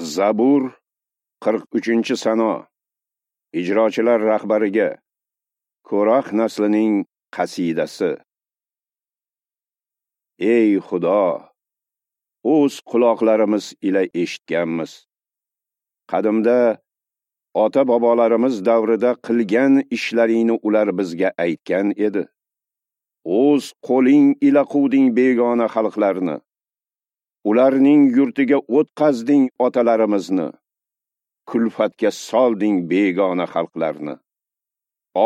Zabur 43-sano. Ijrochilar rahbariga Ko'rax naslining qasidasi. Ey Xudo, o'z quloqlarimiz ila eshitganmiz. Qadimda ota-bobolarimiz davrida qilgan ishlaringni ular bizga aytgan edi. O'z qo'ling ila quvding begona xalqlarni. Ularning yurtiga o'tqazding otalarimizni. Kulfatga solding begona xalqlarni.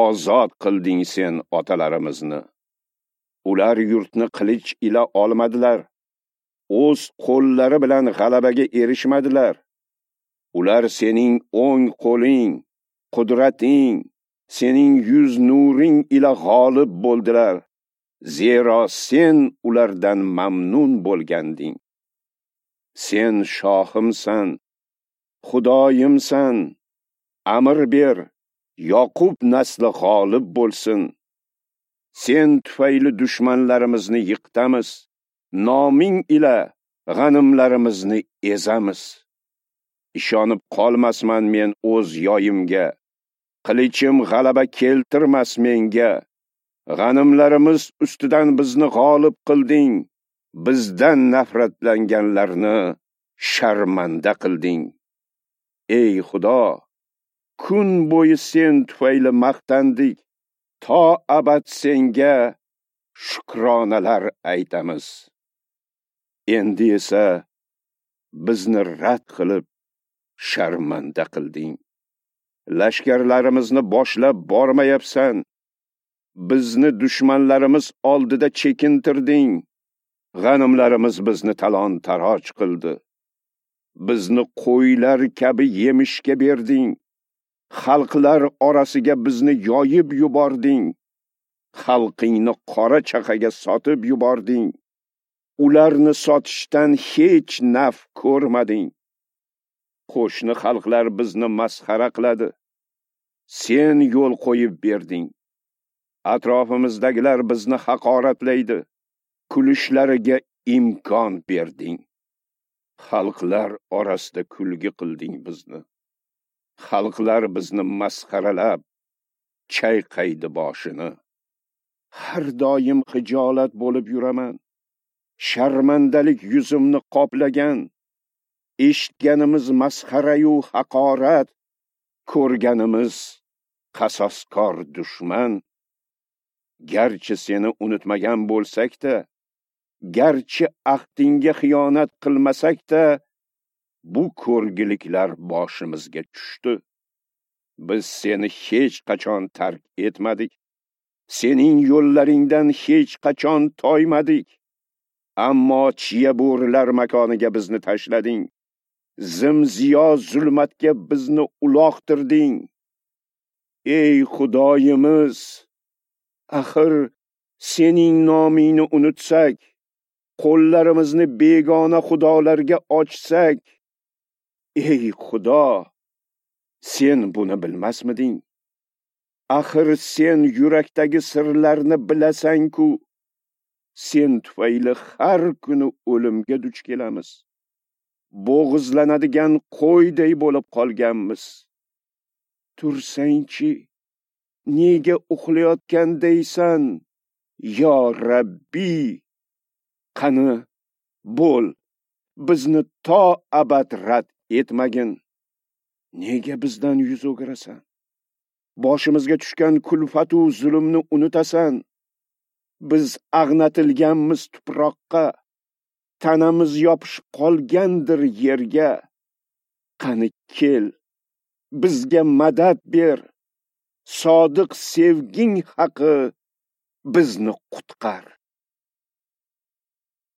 Ozod qilding sen otalarimizni. Ular yurtni qilich ila olmadilar. O'z qo'llari bilan g'alabaga erishmadilar. Ular sening o'ng qo'ling, qudrating, sening yuz nuring ila g'olib bo'ldilar. Zero sen ulardan mamnun bo'lganding. Sen shohimsan, Xudoyimsan, amr ber, Yoqub nasli g'olib bo'lsin. Sen tufayli dushmanlarimizni yiqitamiz, noming ila g'animlarimizni ezamiz. Ishonib qolmasman men o'z yoyimga, qilichim g'alaba keltirmas menga. G'animlarimiz ustidan bizni g'olib qilding, bizdan nafratlanganlarni sharmanda qilding. Ey Xudo, kun bo'yi sen tufayli maqtandik, to abad senga shukronalar aytamiz. Endi esa bizni rad qilib sharmanda qilding. Lashkarlarimizni boshlab bormayapsan. Bizni dushmanlarimiz oldida chekintirding. G'animlarimiz bizni talon-taroj qildi. Bizni qo'ylar kabi yemishga berding. Xalqlar orasiga bizni yoyib yubording. Xalqingni qora chaqaga sotib yubording. Ularni sotishdan hech naf ko'rmading. Qo'shni xalqlar bizni masxara qiladi. Sen yo'l qo'yib berding. Atrofimizdagilar bizni haqoratlaydi. Kulishlariga imkon berding. Xalqlar orasida kulgi qilding bizni. Xalqlar bizni masxaralab chayqaydi boshini. Har doim xijolat bo'lib yuraman. Sharmandalik yuzimni qoplagan. Eshitganimiz masxarayu haqorat, ko'rganimiz qasoskor dushman. Garchi seni unutmagan bo'lsak-da, garchi ahdingga xiyonat qilmasak-da, bu ko'rgiliklar boshimizga tushdi. Biz seni hech qachon tark etmadik. Sening yo'llaringdan hech qachon toymadik. Ammo chiya bo'rilar makoniga bizni tashlading. Zimziyo zulmatga bizni uloqtirding. Ey Xudoyimiz, axir sening nomingni unutsak, qo'llarimizni begona xudolarga ochsak, ey Xudo, sen buni bilmasmiding? Axir sen yurakdagi sirlarni bilasan-ku. Sen tufayli har kuni o'limga duch kelamiz. Bo'g'izlanadigan qo'yday bo'lib qolganmiz. Tursangchi, nega uxlayotgandaysan, yo Rabbi? Qani, bo'l, bizni to abad rad etmagin. Nega bizdan yuz o'girasan? Boshimizga tushgan kulfatu zulmni unutasan. Biz ag'natilganmiz tuproqqa, tanamiz yopishib qolgandir yerga. Qani kel, bizga madad ber. Sodiq sevging haqi bizni qutqar.